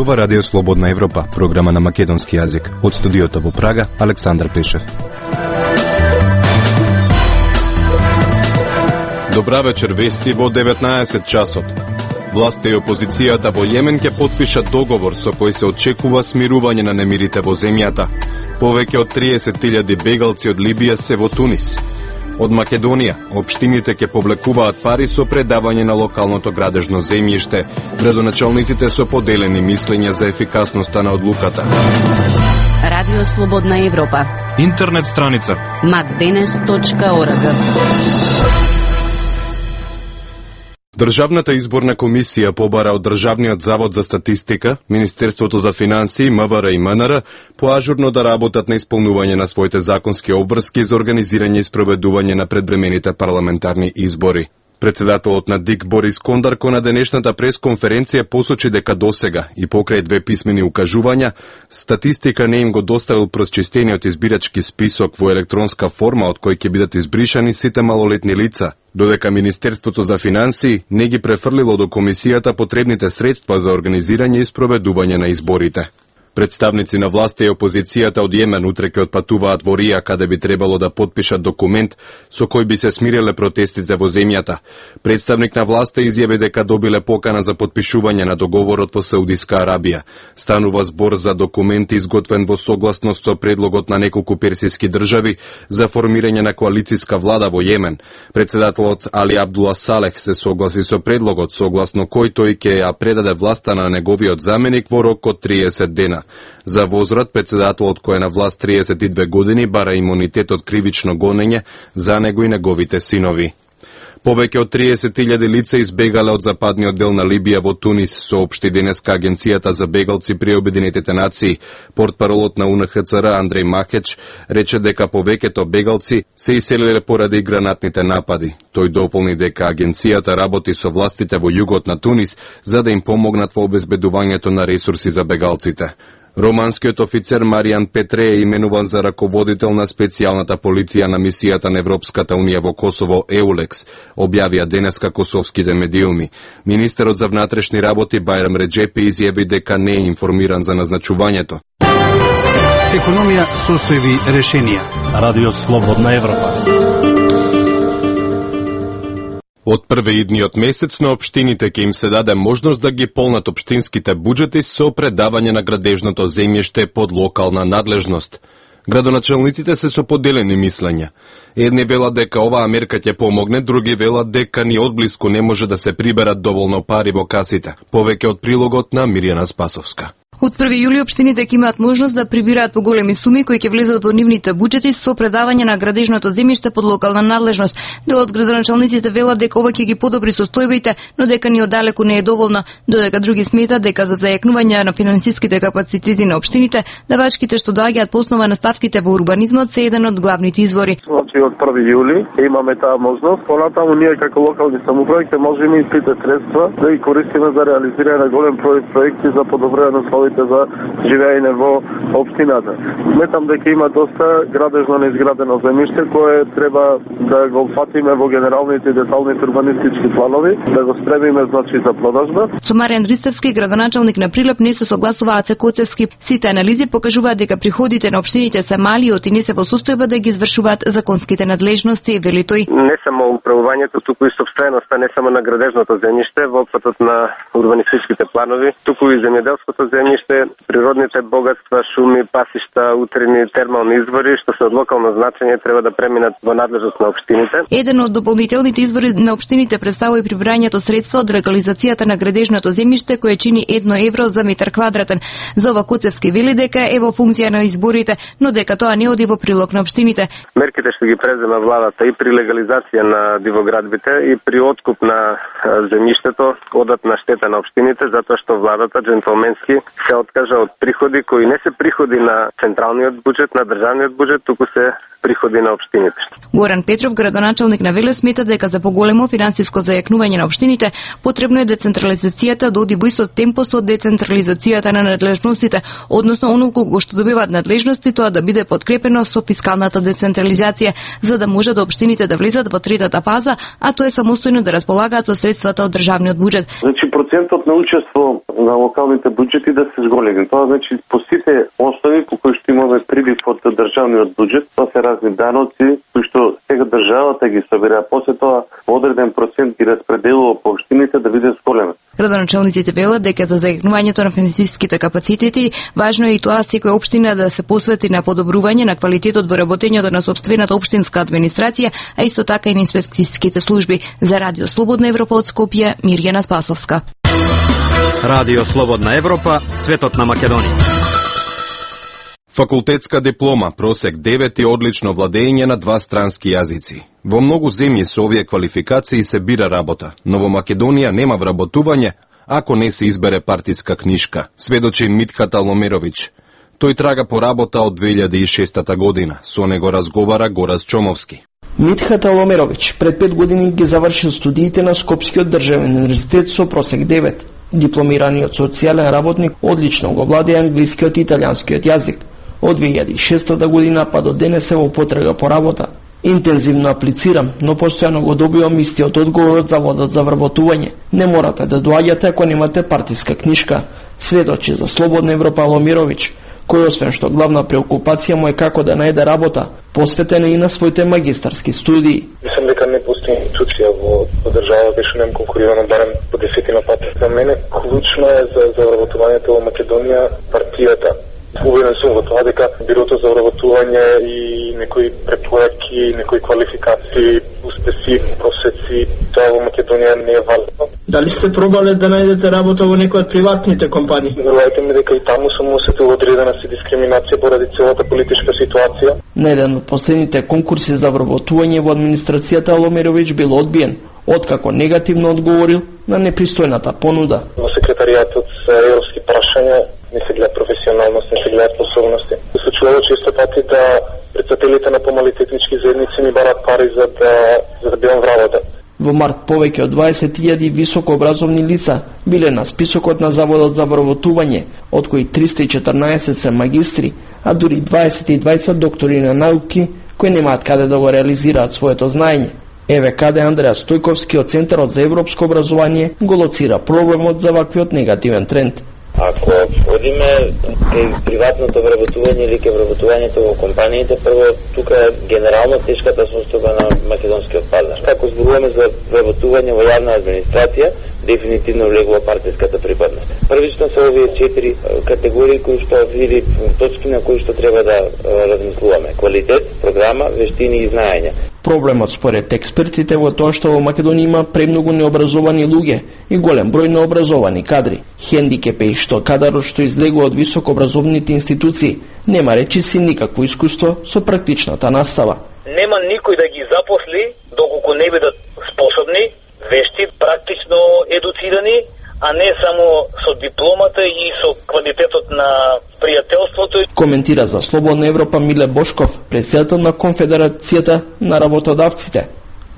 Зборува Радио Слободна Европа, програма на македонски јазик. Од студиото во Прага, Александар Пешев. Добра вечер, вести во 19 часот. Власта и опозицијата во Јемен ќе потпишат договор со кој се очекува смирување на немирите во земјата. Повеќе од 30.000 бегалци од Либија се во Тунис. Од Македонија, општините ќе повлекуваат пари со предавање на локалното градежно земјиште. Градоначалниците со поделени мислења за ефикасноста на одлуката. Радио Слободна Европа. Интернет страница macdenes.org. Државната изборна комисија побара од Државниот завод за статистика, Министерството за финансии, МВР и МНР поажурно да работат на исполнување на своите законски обврски за организирање и спроведување на предвремените парламентарни избори. Председателот на ДИК Борис Кондарко на денешната пресконференција посочи дека досега и покрај 2 писмени укажувања, статистика не им го доставил просчистениот избирачки список во електронска форма од кој ќе бидат избришани сите малолетни лица, додека Министерството за финансии не ги префрлило до комисијата потребните средства за организирање и спроведување на изборите. Представници на власта и опозицијата од Јемен утре ќе отпатуваат во Рија, каде би требало да потпишат документ со кој би се смириле протестите во земјата. Представник на власта изјави дека добиле покана за потпишување на договорот во Саудиска Арабија. Станува збор за документ изготвен во согласност со предлогот на неколку персиски држави за формирање на коалициска влада во Јемен. Председателот Али Абдула Салех се согласи со предлогот, согласно кој тој ќе ја предаде власта на неговиот заменик во рок од 30 дена. За возврат, председателот кој е на власт 32 години бара имунитет од кривично гонење за него и неговите синови. Повеќе од 30.000 лица избегале од западниот дел на Либија во Тунис, соопшти денеска Агенцијата за бегалци при Обединетите нации. Портпаролот на УНХЦР Андреј Махеч рече дека повеќето бегалци се иселиле поради гранатните напади. Тој дополни дека агенцијата работи со властите во југот на Тунис за да им помогнат во обезбедувањето на ресурси за бегалците. Романскиот офицер Маријан Петре е именуван за раководител на специјалната полиција на мисијата на Европската унија во Косово EULEX, објавија денеска косовските медиуми. Министерот за внатрешни работи Бајрам Реджепи изјави дека не е информиран за назначувањето. Економија, состојби, решенија. Радио Слободна Европа. Од прве идниот месец на општините ќе им се даде можност да ги полнат општинските буџети со предавање на градежното земјиште под локална надлежност. Градоначалниците се со поделени мислења. Едни велат дека оваа мерка ќе помогне, други велат дека ни одблиску не може да се приберат доволно пари во касите. Повеќе од прилогот на Мирјана Спасовска. Од 1 јули општините ќе имаат можност да прибираат поголеми суми кои ќе влезат во нивните буџети со предавање на градежното земјиште под локална надлежност. Дел од градоначалниците велат дека ова ќе ги подобри состојбите, но дека ни оддалеку не е доволно, додека други сметат дека за зајакнување на финансиските капацитети на општините, давачките што доаѓаат по основа на ставките во урбанизмот се еден од главните извори. Значи од 1 јули имаме таа можност, понатаму ние како локални самоуправи ќе можеме и сите средства да ги користиме за реализирање на голем проекти за подобрување на за живеење во општината. Сметам дека има доста градежно неизградено земјиште кое треба да го фатиме во генералните и деталните урбанистички планови, да го спремиме значи за продажба. Со Маријан Ристевски, градоначалник на Прилеп, не се согласуваат се Коцевски. Сите анализи покажуваат дека приходите на општините се мали и не се во состојба да ги извршуваат законските надлежности, вели тој. Не само управувањето, туку и сопственоста, не само на градежното земјиште во опфатот на урбанистичките планови, туку и земјоделското земјиште, природните богатства, шуми, пасишта, утрини, термални извори, што се од локално значење треба да преминат во надлежност на општините. Еден од дополнителните извори на општините представува и прибирањето средства од легализацијата на градежното земјиште, кое чини 1 евро за метар квадратен. За ова Коцевски вели дека е во функција на изборите, но дека тоа не оди во прилог на општините. Мерките што ги презема владата и при легализација на дивоградбите и при откуп на земјиштето одат на штета на општините, затоа што владата джентлменски се откажа од приходи кои не се приходи на централниот буџет, на државниот буџет, туку се приходи на општините. Горан Петров, градоначалник на Велес, смета дека за поголемо финансиско зајакнување на општините потребно е децентрализацијата да оди во исто темпо со децентрализацијата на надлежностите, односно онолку што добиваат надлежности, тоа да биде подкрепено со фискалната децентрализација, за да може да општините да влезат во третата фаза, а тоа е самостојно да располагаат со средствата од државниот буџет. Значи процентот на учество на локалните буџети да се зголеми. Тоа значи по сите основи по кои што имаме прилив од државниот буџет, тоа се разни даноци кои што сега државата ги собира, после тоа одреден процент ги распределува по општините да биде зголемен. Градоначалниците велат дека за зајакнувањето на финансиските капацитети важно е и тоа секоја општина да се посвети на подобрување на квалитетот во работењето на сопствената општинска администрација, а исто така и на инспекцијските служби. За Радио Слободна Европа од Скопје, Мирјана Спасовска. Радио Слободна Европа, светот на Македонија. Факултетска диплома, просек 9 и одлично владење на 2 странски јазици. Во многу земји со овие квалификации се бира работа, но во Македонија нема вработување ако не се избере партиска книшка, сведочи Митхат Аломировиќ. Тој трага по работа од 2006 година, со него разговара Горас Чомовски. Митхат Аломировиќ пред 5 години ги завршил студиите на Скопскиот државен универзитет со просек 9. Дипломираниот социјален работник одлично го владее англискиот и италијанскиот јазик. Од 2006 година па до денес е во потрага по работа. Интензивно аплицирам, но постојано го добивам истиот одговор од Заводот за вработување. Не морате да доаѓате ако немате партиска книшка, сведочи за Слободна Европа Аломировиќ, кој освен што главна преокупација му е како да најде работа, посветена и на своите магистарски студии. Мислам дека не постои институција во држава беше нем конкурирана барем по 10 пати. За мене клучно е за вработувањето во Македонија партијата. Убеден сум во тоа дека бирото за вработување и некои препораки, некои квалификации, успеси, просеци, тоа во Македонија не е валидно. Дали сте пробале да најдете работа во некој од приватните компании? Верувајте ми дека и таму сум осетил одредена си дискриминација поради целата политичка ситуација. На еден од последните конкурси за вработување во администрацијата Аломировиќ бил одбиен, откако негативно одговорил на непристојната понуда. Во секретаријатот за европски прашања не се гледа професионалност, не се гледа способности. Се случува често пати да председателите на помали технички заедници ми барат пари за да бидам в работа. Во март повеќе од 20.000 високообразовни лица биле на списокот на Заводот за вработување, од кои 314 се магистри, а дури 22 доктори на науки кои немаат каде да го реализираат своето знаење. Еве каде Андреа Стојковски од Центарот за европско образование го лоцира проблемот за ваквиот негативен тренд. Ако одиме кај приватното вработување или кај вработувањето во компаниите, прво тука е генерално тешката состојба на македонскиот пазар. Како зборуваме за вработување во јавна администрација, дефинитивно влегува партиската припадност. Првично се овие 4 категории кои што или точки на кои што треба да размислуваме: квалитет, програма, вештини и знаење. Проблемот според експертите во тоа што во Македонија има премногу необразовани луѓе и голем број необразовани кадри. Хендикеп е што кадарот што излегува од високообразовните институции нема речиси никакво искуство со практичната настава. Нема никој да ги запосли доколку не бидат способни, вешти, практично едуцирани, а не само со дипломата и со квалитетот на пријателството. Коментира за Слободна Европа Миле Бошков, председател на Конфедерацијата на работодавците.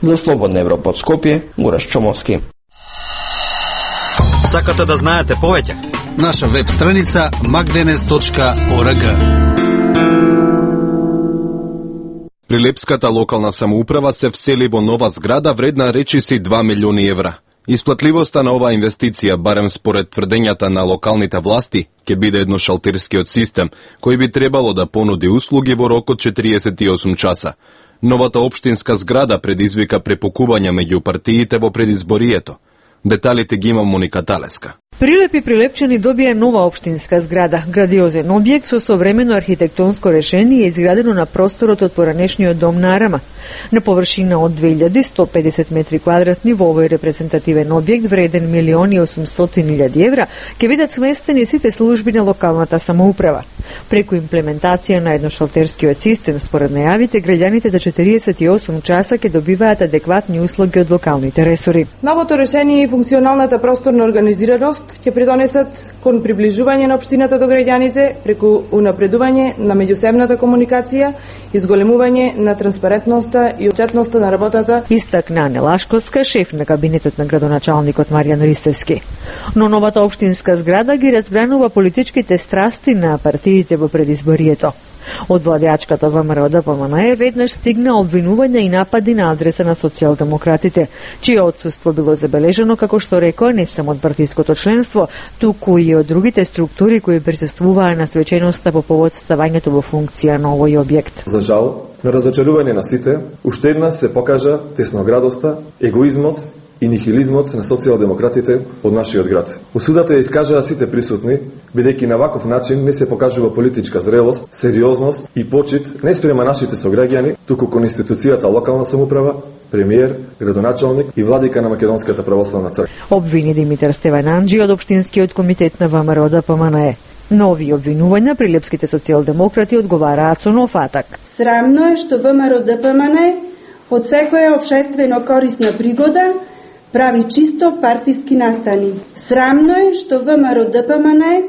За Слободна Европа од Скопје, Горас Чомовски. Сакате да знаете повеќе? Наша веб страница magdenes.org. Прилепската локална самоуправа се всели во нова зграда вредна речиси 2 милиони евра. Исплатливоста на оваа инвестиција, барем според тврдењата на локалните власти, ќе биде едношалтирскиот систем, кој би требало да понуди услуги во рок од 48 часа. Новата општинска зграда предизвика препукување меѓу партиите во предизборието. Деталите ги има Моника Талеска. Прилеп и Прилепчани добија нова општинска зграда. Градиозен објект со современо архитектонско решение изградено на просторот од поранешниот дом на Арама. На површина од 2150 метри квадратни во овој репрезентативен објект вреден 1.800.000 евра ќе бидат сместени сите служби на локалната самоуправа. Преку имплементација на едношалтерскиот систем, според најавите, граѓаните за 48 часа ќе добиваат адекватни услуги од локалните ресори. Новото решение и функционалната просторна организираност ќе придонесат кон приближување на општината до граѓаните преку унапредување на меѓусебната комуникација, изголемување на транспарентноста и отчетноста на работата. Истакна Ане Лашковска, шеф на кабинетот на градоначалникот Маријан Ристевски. Но новата општинска зграда ги разбранува политичките страсти на партиите во предизборието. Од владеачката ВМРО-ДПМНЕ веднаш стигна обвинување и напади на адреса на социјалдемократите, чие отсуство било забележано, како што рекоа, не само од партиското членство, туку и од другите структури кои присуствуваа на свеченоста по повод ставањето во функција на овој објект. За жал, на разочарување на сите, уште еднаш се покажа тесноградоста, егоизмот и нихилизмот на социјалдемократите од нашиот град. Осудата ја искажаа сите присутни, бидејќи на ваков начин не се покажува политичка зрелост, сериозност и почит не спрема нашите сограѓани, туку кон институцијата локална самоуправа, премиер, градоначалник и владика на Македонската православна црква. Обвини Димитар Стевананџи од општинскиот комитет на ВМРО-ДПМНЕ. Нови обвинувања прилепските социјалдемократи одговараат со нов атак. Срамно е што ВМРО-ДПМНЕ од секоја општествено корисна пригода прави чисто партиски настани. Срамно е што ВМРО-ДПМНЕ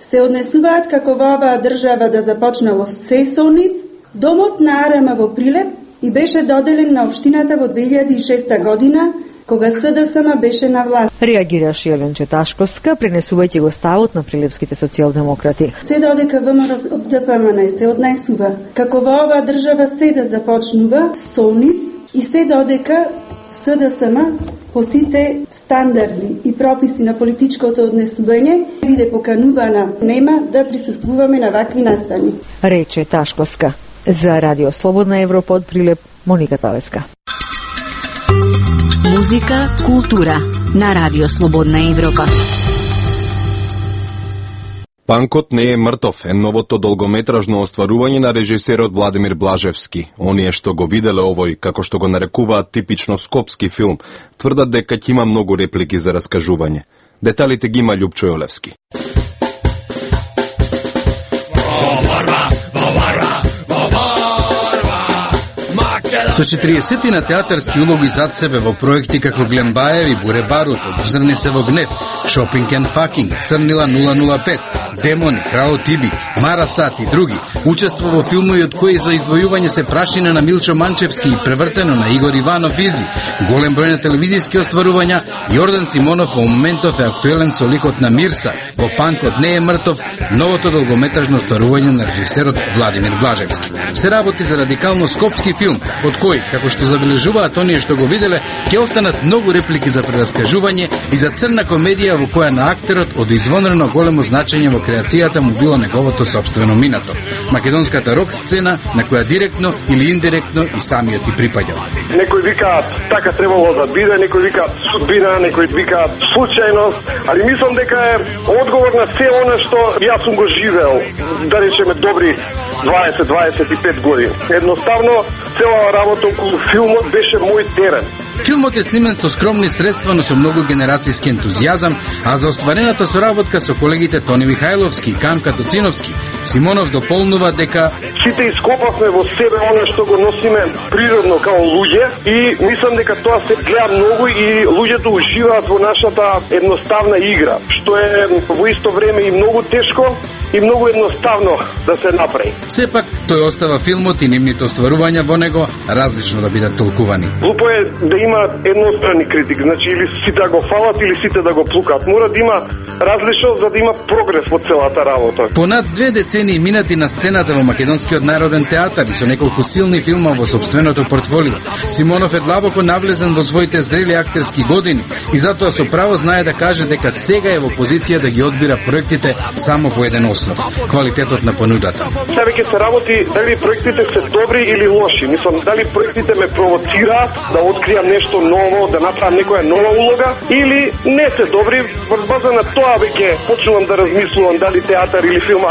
се однесуваат како во оваа држава да започнало се со нив. Домот на АРМ во Прилеп и беше доделен на општината во 2006 година, кога СДСМ беше на власт. Реагираше Еленче Ташковска, пренесувајќи го ставот на прилепските социјалдемократи. Се додека ВМРО-ДПМНЕ се однесува како во оваа држава се да започнува со нив и се додека СДСМ по сите стандарди и прописи на политичкото однесување биде поканувана, нема да присуствуваме на вакви настани. Рече Ташковска. За Радио Слободна Европа од Прилеп, Моника Талеска. Музика, култура на Радио Слободна Европа. Панкот не е мртов е новото долгометражно остварување на режисерот Владимир Блажевски. Оние што го виделе овој, како што го нарекуваат типично скопски филм, тврдат дека ќе има многу реплики за раскажување. Деталите ги има Љупчо Јолевски. Со 40 на театарски улоги зад себе во проекти како Глембаеви, Буре Барут, Обзрни се во гнев, Шопинг and Факинг, Црнила 005, Демони, Крао Тиби, Мара Сат и други, учествува во филмови од кои за издвојување се прашина на Милчо Манчевски и превртено на Игор Иванов Изи, голем број на телевизиски остварувања, Јордан Симонов во моментов е актуелен со ликот на Мирса, во Панкот не е мртов, новото долгометражно остварување на режисерот Владимир Блажевски. Се работи за радикално скопски филм, од кој, како што забележуваат оние што го виделе, ќе останат многу реплики за прераскажување и за црна комедија во која на актерот од извонредно големо значење во креацијата му било неговото сопствено минато. Македонската рок сцена на која директно или индиректно и самиот и припаѓал. Некој вика така требало да биде, некој вика судбина, некој вика случајност, али мислам дека е одговор на се она што јас сум го живеел, да речеме добри 20-25 години. Едноставно, цела работа околу филмот беше мој терен. Филмот е снимен со скромни средства, но со многу генерацијски ентузијазам, а за остварената соработка со колегите Тони Михајловски и Камка Тоциновски, Симонов дополнува дека сите ископавме во себе она што го носиме природно као луѓе и мислам дека тоа се гледа многу и луѓето уживаат во нашата едноставна игра, што е во исто време и многу тешко и многу едноставно да се направи. Сепак, тој остава филмот и нивните остварувања во него различно да бидат толкувани. Глупо е да има едностранни критик, значи или сите да го фалат или сите да го плукат. Мора да има различност за да има прогрес во целата работа. Понад 2 децении минати на сцената во Македонскиот народен театар и со неколку силни филма во сопственото портфолио, Симонов е длабоко навлезен во своите зрели актерски години и затоа со право знае да каже дека сега е во позиција да ги одбира проектите само по еден основ – квалитетот на понудата. Сега ќе се работи дали проектите се добри или лоши. Мислам, дали проектите ме провоцираат да откријам нешто ново, да направам некоја нова улога, или не се добри, врз база на тоа веќе почнувам да размислувам дали театар или филм,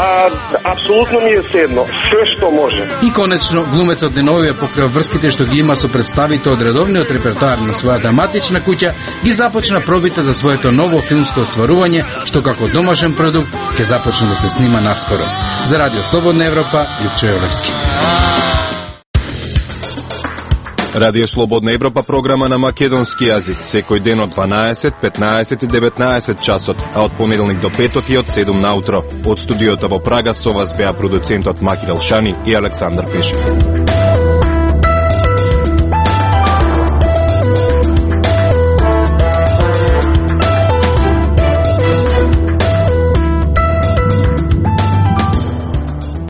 апсолутно ми е седно, се што може. И конечно, глумецот деновиве покрај врските што ги има со представите од редовниот репертоар на својата матична куќа, ги започна пробите за своето ново филмско остварување, што како домашен продукт ќе започне да се снима наскоро. За Радио Слободна Европа, Љупчо Јолевски. Радио Слободна Европа, програма на македонски јазик, секој ден од 12, 15 и 19 часот, а од понеделник до петок и од 7 наутро. Од студиото во Прага со вас беа продуцентот Маки Делшани и Александар Пешев.